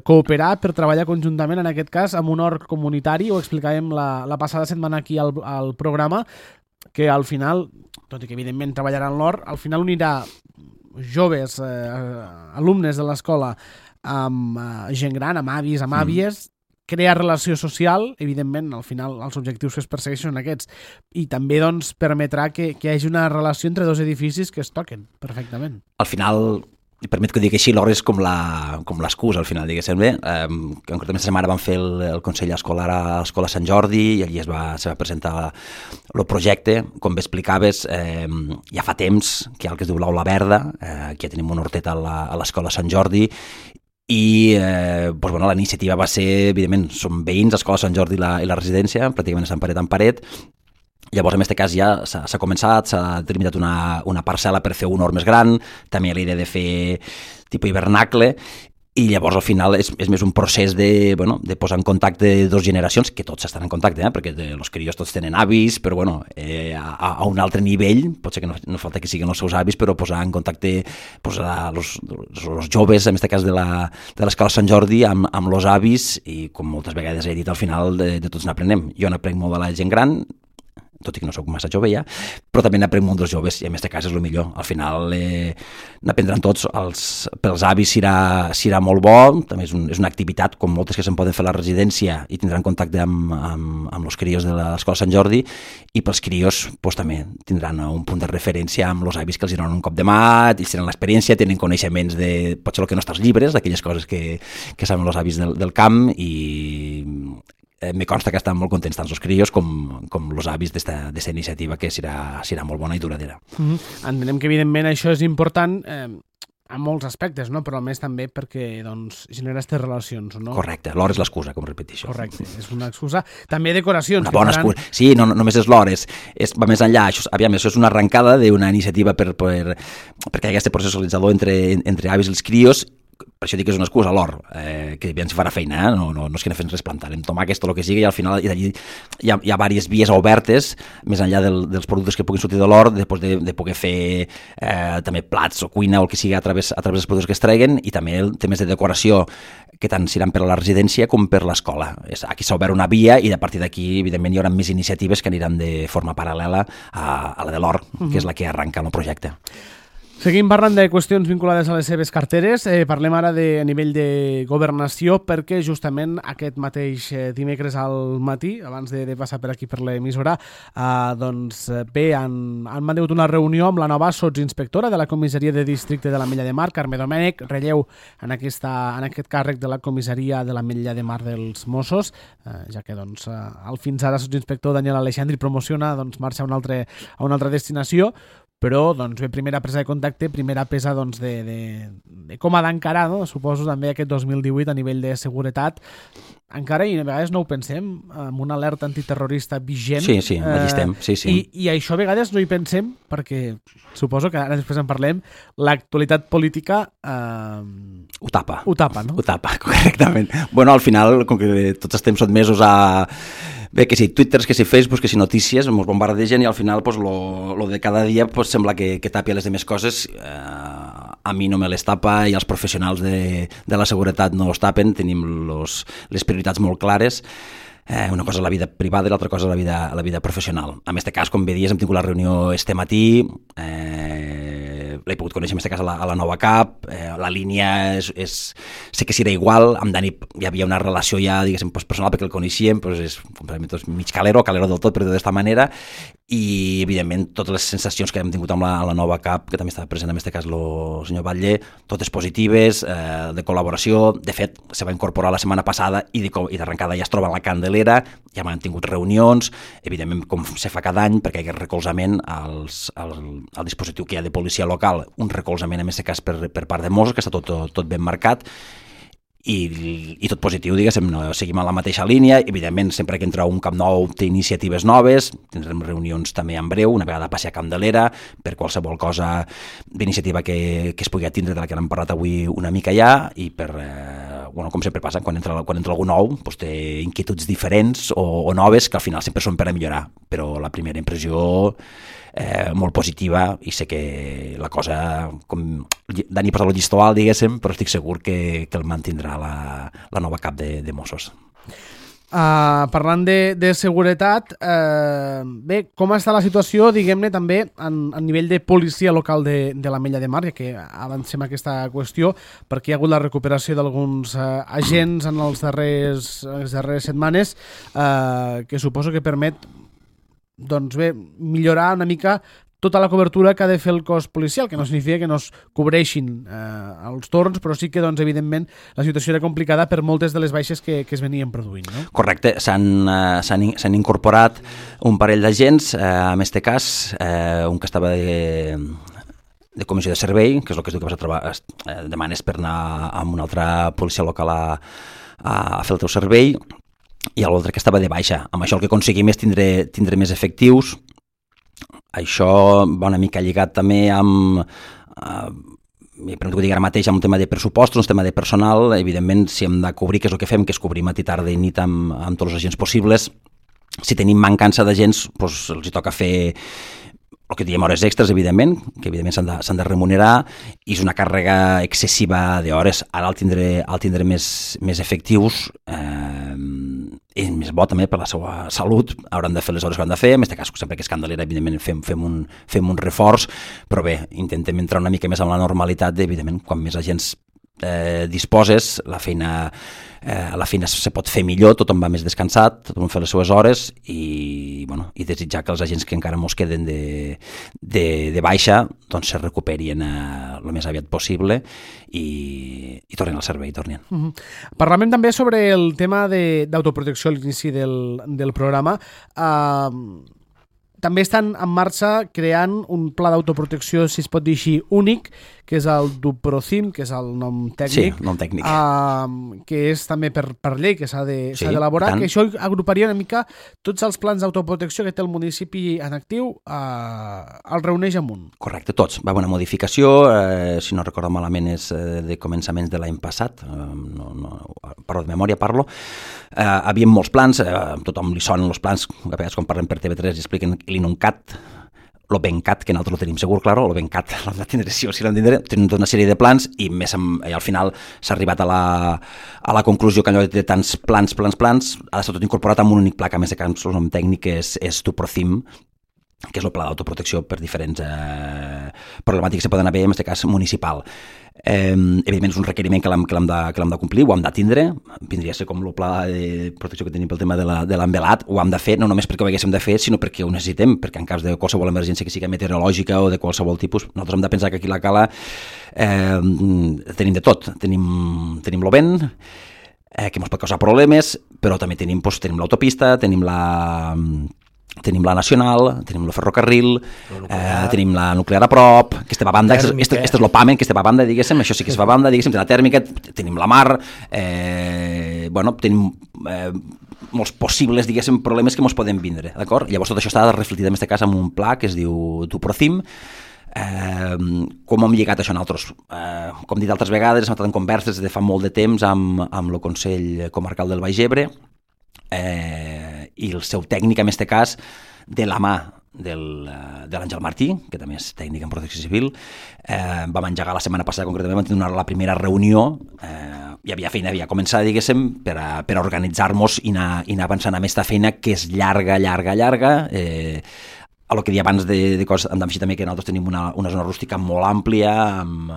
cooperar, per treballar conjuntament, en aquest cas, amb un org comunitari. Ho explicàvem la passada setmana aquí al programa, que al final, tot i que evidentment treballaran l'org, al final unirà joves, alumnes de l'escola, amb gent gran, amb avis, amb àvies, crear relació social, evidentment, al final els objectius que es persegueixen són aquests, i també permetrà que hi hagi una relació entre dos edificis que es toquen perfectament. Al final, permet que ho digui així, l'hora és com l'excusa, al final, diguéssim bé. Concretament, aquesta setmana vam fer el Consell Escolar a l'Escola Sant Jordi i allí se va presentar el projecte. Com bé explicaves, ja fa temps que hi ha el que es diu l'Aula Verda, que ja tenim una horteta a l'Escola Sant Jordi, i la iniciativa va ser, evidentment, som veïns, l'Escola Sant Jordi i la residència, pràcticament estan paret en paret. Llavors, en aquest cas, ja s'ha començat, s'ha delimitat una parcel·la per fer un hort més gran, també la idea de fer tipus hivernacle, i llavors al final és més un procés de posar en contacte dues generacions, que tots estan en contacte, perquè els crios tots tenen avis, però a un altre nivell, potser que no falta que siguin els seus avis, però posar en contacte els joves, en aquest cas de l'Escola Sant Jordi, amb els avis, i com moltes vegades he dit, al final de tots n'aprenem. Jo n'aprenc molt de la gent gran, tot i que no soc massa jove ja, però també n'aprenc molt dels joves, i en aquest cas és el millor. Al final n'aprendran tots, pels avis serà molt bo, també és una activitat, com moltes que se'n poden fer a la residència, i tindran contacte amb els crios de l'Escola Sant Jordi, i pels crios també tindran un punt de referència amb els avis que els donen un cop de mà, ells tenen l'experiència, tenen coneixements de, potser el que no està als llibres, d'aquelles coses que saben els avis del camp, i me consta que estan molt contents tant els crios com els avis d'esta iniciativa, que serà molt bona i duradera. Entenem que evidentment això és important en molts aspectes, no? Però a més també perquè doncs, genera aquestes relacions. No? Correcte, l'or és l'excusa, com repeteixo. Correcte, és una excusa. També decoracions. Una bona excusa. Sí, no només és l'or, va més enllà. Això és una arrencada d'una iniciativa perquè hi ha aquest procés socialitzador entre avis i els crios. Per això dic que és una excusa, l'or, que ja ens farà feina, no és que no fem res, plantarem tomàquets, tot el que sigui, i al final d'allí hi ha diverses vies obertes, més enllà dels productes que puguin sortir de l'or, després de poder fer també plats o cuina o el que sigui a través dels productes que es treguen, i també temes de decoració que tant seran per a la residència com per l'escola. Aquí s'ha obert una via i a partir d'aquí, evidentment, hi haurà més iniciatives que aniran de forma paral·lela a la de l'or, que és la que arranca el projecte. Seguim parlant de qüestions vinculades a les seves carteres. Parlem ara a nivell de governació, perquè justament aquest mateix dimecres al matí, abans de passar per aquí per l'emissora, doncs bé, han mantingut una reunió amb la nova sotsinspectora de la comissaria de districte de l'Ametlla de Mar, Carme Domènech, relleu en aquest càrrec de la comissaria de l'Ametlla de Mar dels Mossos, ja que doncs, el fins ara sotsinspector Daniel Alexandri promociona marxa a una altra destinació, però doncs, bé, primera presa de contacte, primera pesa doncs, de com ha d'encarar, no? Suposo també aquest 2018 a nivell de seguretat. Encara, i a vegades no ho pensem, amb una alerta antiterrorista vigent. Sí, aquí estem. Sí. I això a vegades no hi pensem, perquè suposo que ara després en parlem, l'actualitat política ho tapa. No? Ho tapa, correctament. Bueno, al final, com que tots estem sotmesos a... Bé, que si Twitter, que si Facebook, que si notícies, ens bombardegen i al final pues, lo de cada dia pues, sembla que tapia les demés coses. A mi no me les tapa i els professionals de la seguretat no els tapen, tenim les prioritats molt clares. Una cosa és la vida privada i l'altra cosa és la vida professional. En aquest cas, com bé dies, hem tingut la reunió este matí, l'he pogut conèixer en aquest cas a la nova CAP, la línia sé que serà igual, amb Dani hi havia una relació ja, diguéssim, personal perquè el coneixíem, és mig calero del tot, per dir-ho d'esta manera, i evidentment totes les sensacions que hem tingut amb la nova CAP, que també estava present en aquest cas el senyor Batlle, totes positives, de col·laboració. De fet, se va incorporar la setmana passada i d'arrencada ja es troba en la Candelera, ja han tingut reunions, evidentment com se fa cada any, perquè hi ha recolzament al dispositiu que hi ha de policia local, un recolzament en aquest cas per part de Mossos, que està tot ben marcat, i tot positiu, diguéssim, no? Seguim a la mateixa línia, evidentment sempre que entra un cap nou té iniciatives noves, tindrem reunions també en breu, una vegada passi a Candelera, per qualsevol cosa d'iniciativa que es pugui atindre, de la que hem parlat avui una mica ja, i com sempre passa, quan entra algú nou, doncs té inquietuds diferents o noves, que al final sempre són per a millorar, però la primera impressió molt positiva, i sé que la cosa, com Dani posa el llistó alt, diguéssim, però estic segur que el mantindrà la nova cap de Mossos. Parlant de seguretat, bé, com està la situació, diguem-ne, també a nivell de policia local de l'Ametlla de Mar, ja que avancem aquesta qüestió, perquè hi ha hagut la recuperació d'alguns agents en les darreres setmanes, que suposo que permet doncs bé, millorar una mica tota la cobertura que ha de fer el cos policial, que no significa que no es cobreixin els torns, però sí que, doncs, evidentment, la situació era complicada per moltes de les baixes que es venien produint. No? Correcte, s'han incorporat un parell d'agents, en aquest cas, un que estava de comissió de servei, que és el que es diu que vas a trobar, demanes per anar amb una altra policia local a fer el teu servei, i l'altre que estava de baixa. Amb això el que aconseguim és tindre més efectius. Això va una mica lligat també amb per no dir ara mateix, amb un tema de pressupostos, un tema de personal. Evidentment, si hem de cobrir, que és el que fem, que és cobrir matí, tarda i nit amb tots els agents possibles. Si tenim mancança d'agents, doncs els hi toca fer el que diem hores extres, evidentment, que evidentment s'han de remunerar, i és una càrrega excessiva d'hores. Ara al tindre més efectius, és més bo també per la seva salut, hauran de fer les hores que han de fer, en aquest cas sempre que és Candelera, evidentment fem un reforç, però bé, intentem entrar una mica més en la normalitat, evidentment, quan més agents disposes, la feina se pot fer millor, tothom va més descansat, tothom fa les seues hores, i desitjar que els agents que encara mos queden de baixa doncs se recuperin el més aviat possible i tornin al servei, tornin. Parlàvem també sobre el tema d'autoprotecció a l'inici del programa. També estan en marxa creant un pla d'autoprotecció, si es pot dir així, únic, que és el Duprocim, que és el nom tècnic, Sí, nom tècnic. Que és també per llei que s'ha d'elaborar, tant. que això agruparia una mica tots els plans d'autoprotecció que té el municipi en actiu, el reuneix en un. Correcte, tots. Va haver una modificació, si no recordo malament és de començaments de l'any passat, parlo de memòria, havia molts plans, tothom li sonen els plans, a vegades quan parlem per TV3 i expliquen l'INUNCAT, l'OBENCAT, que nosaltres ho tenim segur, claro, l'OBENCAT l'hem de tindre sí o sí l'hem de tindre, tenen tota una sèrie de plans i al final s'ha arribat a la conclusió que allò de tants plans, ha d'estar tot incorporat en un únic pla, que a més de cas el nom tècnic és Duprocim, que és el pla d'autoprotecció per diferents problemàtiques que poden haver, en aquest cas municipal. Evidentment és un requeriment que l'hem de complir, ho hem de tindre, vindria a ser com el pla de protecció que tenim pel tema de l'envelat, ho hem de fer, no només perquè ho haguéssim de fer, sinó perquè ho necessitem, perquè en cas de qualsevol emergència que sigui meteorològica o de qualsevol tipus, nosaltres hem de pensar que aquí a la Cala tenim de tot, tenim el vent, que ens pot causar problemes, però també tenim l'autopista, tenim la nacional, tenim el ferrocarril, tenim la nuclear a prop, que estem a banda, este és l'OPAMEN, que estem a banda, diguéssim, això sí que es fa a banda, diguéssim, la tèrmica, tenim la mar, tenim molts possibles, diguéssim, problemes que ens poden vindre, d'acord? Llavors tot això està reflectit en aquest cas en un pla que es diu Duprocim. Com hem lligat això nosaltres? Com he dit altres vegades, hem estat en converses de fa molt de temps amb el Consell Comarcal del Baix Ebre, i el seu tècnic, en aquest cas, de la mà de l'Àngel Martí, que també és tècnic en protecció civil, vam engegar la setmana passada, concretament, vam tenir la primera reunió, hi havia feina, havia començat, diguéssim, per a organitzar-nos i anar avançant amb aquesta feina que és llarga, a lo que deia abans de coses, hem d'afegir també que nosaltres tenim una zona rústica molt àmplia, amb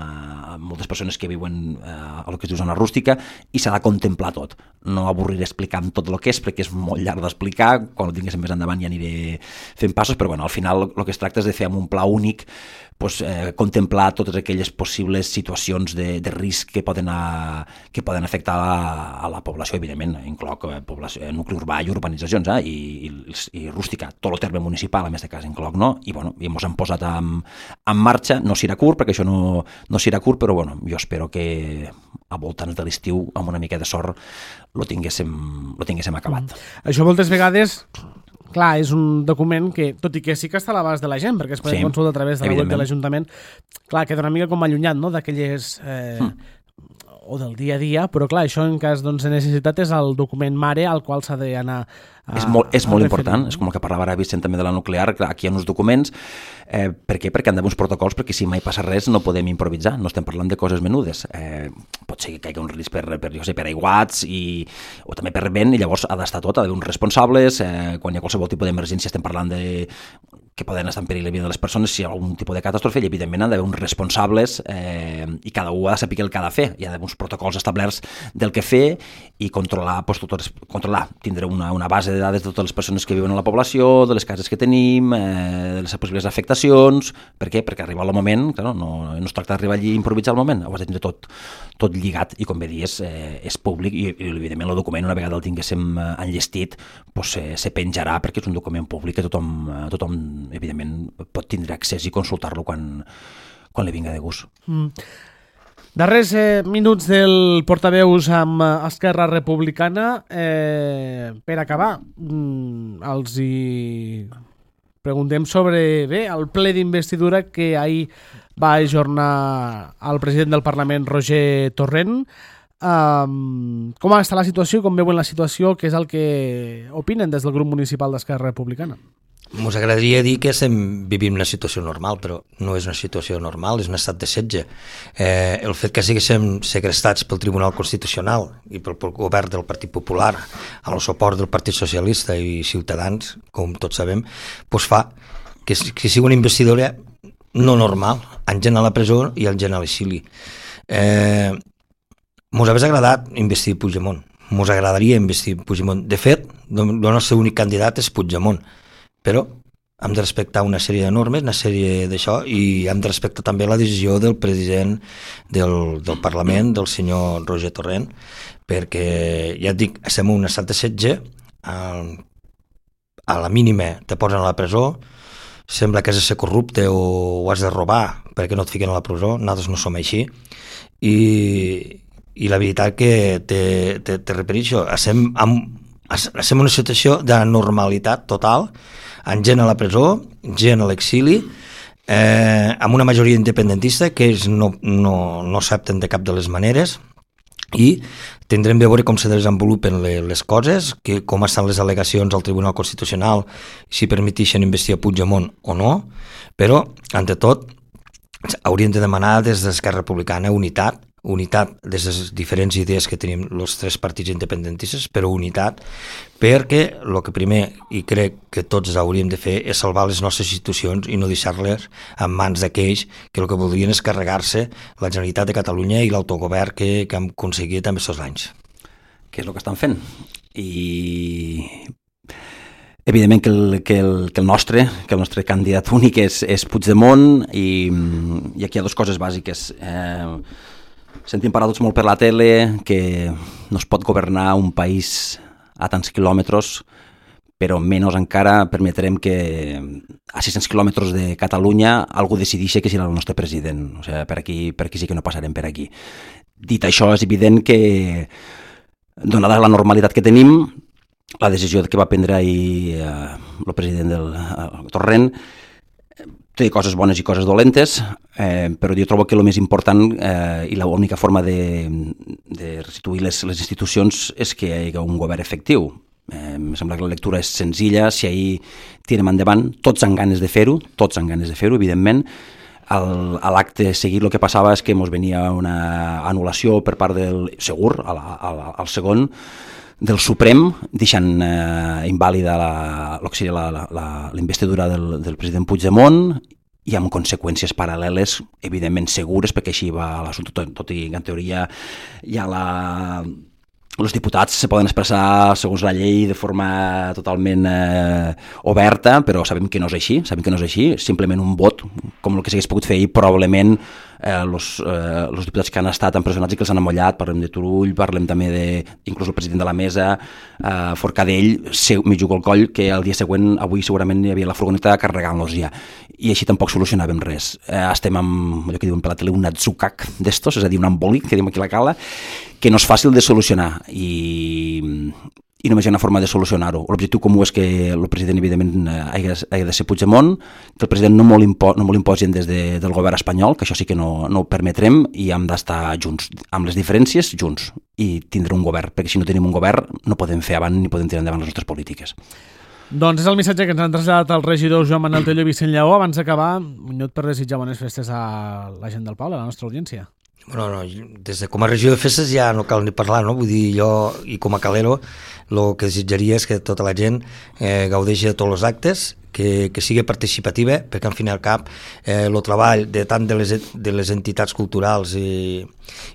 moltes persones que viuen a lo que es diu zona rústica, i s'ha de contemplar tot. No avorriré explicant tot el que és, perquè és molt llarg d'explicar, quan ho tinguéssim més endavant ja aniré fent passos, però bueno, al final el que es tracta és de fer amb un pla únic, contemplar totes aquelles possibles situacions de risc que poden afectar a la població, evidentment, incloc nucli urbà i urbanitzacions, i rústica, tot el terme municipal, en aquest cas incloc, no? I bueno, ens hem posat en marxa, no serà curt, perquè això no serà curt, però bueno, jo espero que a voltants de l'estiu, amb una mica de sort, lo tinguéssim acabat. Això moltes vegades... Clar, és un document que, tot i que sí que està a l'abast de la gent, perquè es pot consultar a través de la web de l'Ajuntament, clar, queda una mica com allunyat, no?, d'aquelles... o del dia a dia, però clar, això en cas de necessitat és el document mare al qual s'ha d'anar és molt important, és com el que parlava ara Vicent també de la nuclear, aquí hi ha uns documents, per què? Perquè han d'haver uns protocols, perquè si mai passa res no podem improvisar, no estem parlant de coses menudes, pot ser que caigui un risc per aiguats o també per vent, i llavors ha d'estar tot, ha d'haver uns responsables, quan hi ha qualsevol tipus d'emergència estem parlant que poden estar en perill la vida de les persones si hi ha algun tipus de catàstrofe, i evidentment han d'haver uns responsables i cada un ha de saber el que ha de fer, hi ha d'haver uns protocols establerts del que fer i controlar, tindre una base de dades de totes les persones que viuen a la població, de les cases que tenim, de les possibles afectacions. Per què? Perquè arriba el moment, clar, no es tracta d'arribar allí i improvisar el moment, ho has de tindre tot lligat, i com bé dius, és públic, i evidentment el document, una vegada el tinguéssim enllestit, se penjarà, perquè és un document públic que tothom evidentment pot tindre accés i consultar-lo quan li vinga de gust. Darrers minuts del portaveus amb Esquerra Republicana. Per acabar, els hi preguntem sobre el ple d'investidura que ahir va ajornar el president del Parlament, Roger Torrent. Com està la situació, com veuen la situació, què és el que opinen des del grup municipal d'Esquerra Republicana? Ens agradaria dir que vivim una situació normal, però no és una situació normal, és un estat de setge. El fet que siguéssim segrestats pel Tribunal Constitucional i pel govern del Partit Popular, amb el suport del Partit Socialista i Ciutadans, com tots sabem, doncs fa que sigui una investidura no normal, amb gent a la presó i amb gent a l'exili. Ens hauria agradat investir Puigdemont, ens agradaria investir Puigdemont. De fet, el nostre únic candidat és Puigdemont, però hem de respectar una sèrie de normes, una sèrie d'això, i hem de respectar també la decisió del president del Parlament, del senyor Roger Torrent, perquè, ja et dic, estem en un estat de setge, a la mínima te posen a la presó, sembla que has de ser corrupte o has de robar perquè no et fiquen a la presó, nosaltres no som així, i la veritat que te repeteixo, estem en una situació de normalitat total, amb gent a la presó, gent a l'exili, amb una majoria independentista que ells no accepten de cap de les maneres, i tindrem de veure com se desenvolupen les coses, com estan les al·legacions al Tribunal Constitucional, si permeteixen investir a Puigdemont o no, però, ante tot, hauríem de demanar des d'Esquerra Republicana unitat des de les diferents idees que tenim els tres partits independentistes, però unitat, perquè el que primer, i crec que tots hauríem de fer, és salvar les nostres institucions i no deixar-les en mans d'aquells que el que voldrien és carregar-se la Generalitat de Catalunya i l'autogovern que hem aconseguit en aquests anys. Què és el que estan fent? I evidentment que el nostre candidat únic és Puigdemont, i aquí hi ha dues coses bàsiques. Sentim parlar tots molt per la tele que no es pot governar un país a tants quilòmetres, però menys encara permetrem que a 600 quilòmetres de Catalunya algú decideixi que serà el nostre president. O sigui, per aquí sí que no passarem per aquí. Dit això, és evident que, donada la normalitat que tenim, la decisió que va prendre ahir el president del Torrent té coses bones i coses dolentes, però jo trobo que el més important i l'única forma de restituir les institucions és que hi hagi un govern efectiu. Em sembla que la lectura és senzilla, si ahir tirem endavant, tots han ganes de fer-ho, evidentment. A l'acte seguit el que passava és que ens venia una anul·lació per part del, segur, al segon, del Suprem, deixant invàlida el que seria la investidura del president Puigdemont, i amb conseqüències paral·leles, evidentment segures, perquè així va l'assumpte, tot i que en teoria hi ha els diputats se poden expressar segons la llei de forma totalment oberta, però sabem que no és així, simplement un vot, com el que s'hagués pogut fer ahir, probablement els diputats que han estat empresonats i que els han amollat, parlem de Turull, parlem també inclús el president de la mesa, Forcadell, m'hi jugo el coll, que el dia següent, avui segurament hi havia la furgoneta carregant-los ja, i així tampoc solucionàvem res. Estem amb allò que diuen per la tele, un atzucac d'estos, és a dir, un embòlic, que diuen aquí a la cala, que no és fàcil de solucionar, i només hi ha una forma de solucionar-ho. L'objectiu comú és que el president, evidentment, hagi de ser Puigdemont, que el president no molt imposin des del govern espanyol, que això sí que no ho permetrem, i hem d'estar junts, amb les diferències, junts, i tindre un govern, perquè si no tenim un govern no podem fer avant ni podem tirar endavant les nostres polítiques. Doncs és el missatge que ens han traslladat els regidors Joan Manel Tello i Vicent Lleó. Abans d'acabar, un minut per desitjar bones festes a la gent del poble, a la nostra audiència. Bueno, no, des de com a regió de festes ja no cal ni parlar, no? Vull dir, jo i com a calero el que desitjaria és que tota la gent gaudeixi de tots els actes, que sigui participativa, perquè al fin i al cap el treball de tant de les entitats culturals i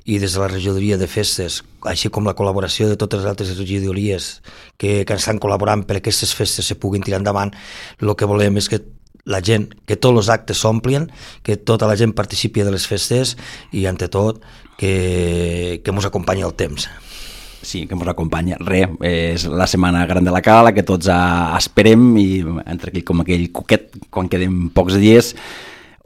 des de la regidoria de festes, així com la col·laboració de totes les altres regidories que estan col·laborant per aquestes festes se puguin tirar endavant, el que volem és que la gent, que tots els actes s'omplien, que tota la gent participi de les festes i, ante tot, que ens acompanyi el temps. Sí, que ens acompanya. És la setmana gran de la Cala, que tots esperem, i entre aquell com aquell cuquet, quan queden pocs dies,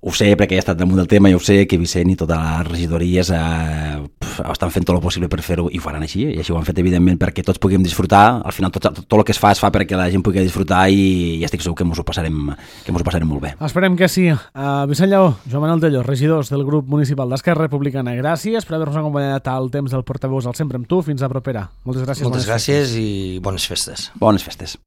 ho sé perquè he estat damunt del tema, i ho sé que Vicent i totes les regidories estan fent tot el possible per fer-ho, i ho faran així, i així ho han fet evidentment perquè tots puguem disfrutar. Al final tot el que es fa perquè la gent pugui disfrutar, i estic segur que ens ho passarem molt bé. Esperem que sí. Vicent Lleó, Joan Manel Tello, regidors del grup municipal d'Esquerra Republicana, gràcies per haver-nos acompanyat al temps del portaveus al Sempre amb tu. Fins a propera. Moltes gràcies. Moltes gràcies i bones festes. Bones festes.